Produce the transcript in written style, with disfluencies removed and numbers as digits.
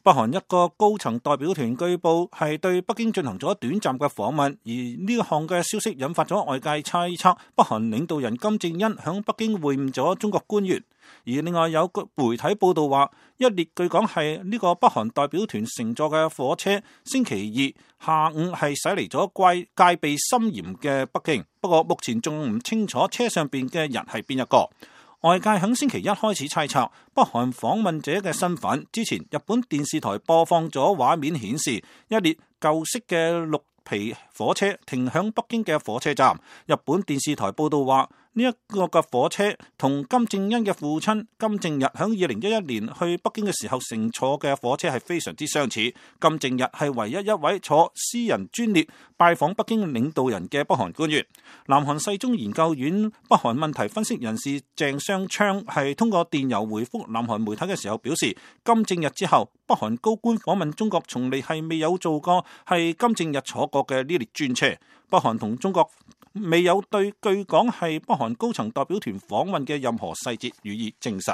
北韓一個高層代表團據報係對北京進行咗短暫嘅訪問，而呢項嘅消息引發咗外界猜測，北韓領導人金正恩響北京會晤咗中國官員。而另外有個媒體報道話，一列據講係呢個北韓代表團乘坐嘅火車，星期二下午係駛離咗戒備森嚴嘅北京，不過目前仲唔清楚車上邊嘅人係邊一個。外界喺星期一開始猜測北韓訪問者嘅身份。之前日本電視台播放咗畫面顯示，一列舊式嘅綠皮火車停響北京嘅火車站。日本電視台報道話，呢一個嘅火車同金正恩嘅父親金正日響2011年去北京嘅時候乘坐嘅火車係非常之相似。金正日係唯一一位坐私人專列拜訪北京領導人嘅北韓官員。南韓世宗研究院北韓問題分析人士鄭相昌係通過電郵回覆南韓媒體嘅時候表示，金正日之後北韓高官訪問中國從嚟係未有做過係金正日坐過嘅呢列專車。北韓同中國未有對據講係北韓高層代表團訪問嘅任何細節予以證實。